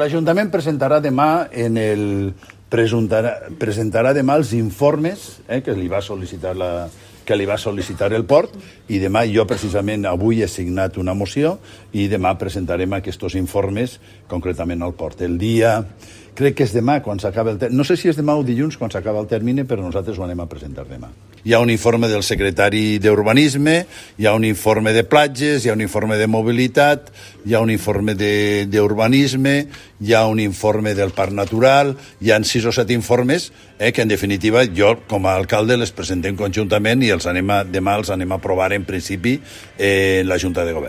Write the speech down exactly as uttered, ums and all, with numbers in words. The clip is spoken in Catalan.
L'Ajuntament presentarà demà en el presentarà, presentarà demà els informes eh, que li va sol·licitar la, que li va sol·licitar el port, i demà jo precisament avui he signat una moció i demà presentarem aquests informes concretament al port. El dia, crec que és demà quan s'acaba el termini, no sé si és demà o dilluns quan s'acaba el termini, però nosaltres ho anem a presentar demà. Hi ha un informe del secretari d'Urbanisme, hi ha un informe de platges, hi ha un informe de mobilitat, hi ha un informe d'urbanisme, hi ha un informe del Parc Natural, hi ha sis o set informes eh, que en definitiva jo com a alcalde les presentem conjuntament i els anem a, demà els anem a aprovar en principi eh, en la Junta de Govern.